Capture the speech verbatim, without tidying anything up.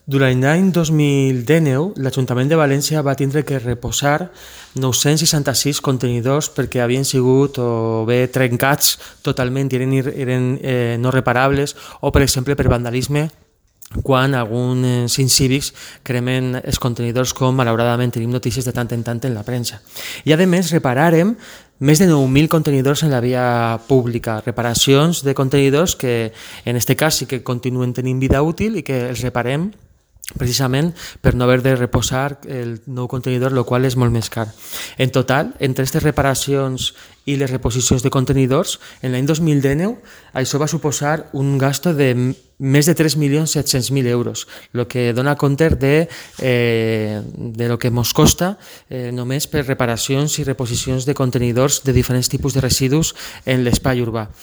Durant l'any dos mil dinou, l'Ajuntament de València va tindre que reposar nou-cents seixanta-sis contenidors perquè havien sigut o bé trencats totalment i eren, eren eh, no reparables, o, per exemple, per vandalisme, quan alguns incívics cremen els contenidors, com malauradament tenim notícies de tant en tant en la premsa. I a més reparàrem més de nou mil contenidors en la via pública, reparacions de contenidors que en aquest cas sí que continuen tenint vida útil i que els reparem precisament per no haver de reposar el nou contenidor, el qual és molt més car. En total, entre aquestes reparacions i les reposicions de contenidors, en l'any dos mil dinou això va suposar un gasto de més de tres milions set-cents mil euros, el que dona compte de, eh, de lo que ens costa eh, només per reparacions i reposicions de contenidors de diferents tipus de residus en l'espai urbà.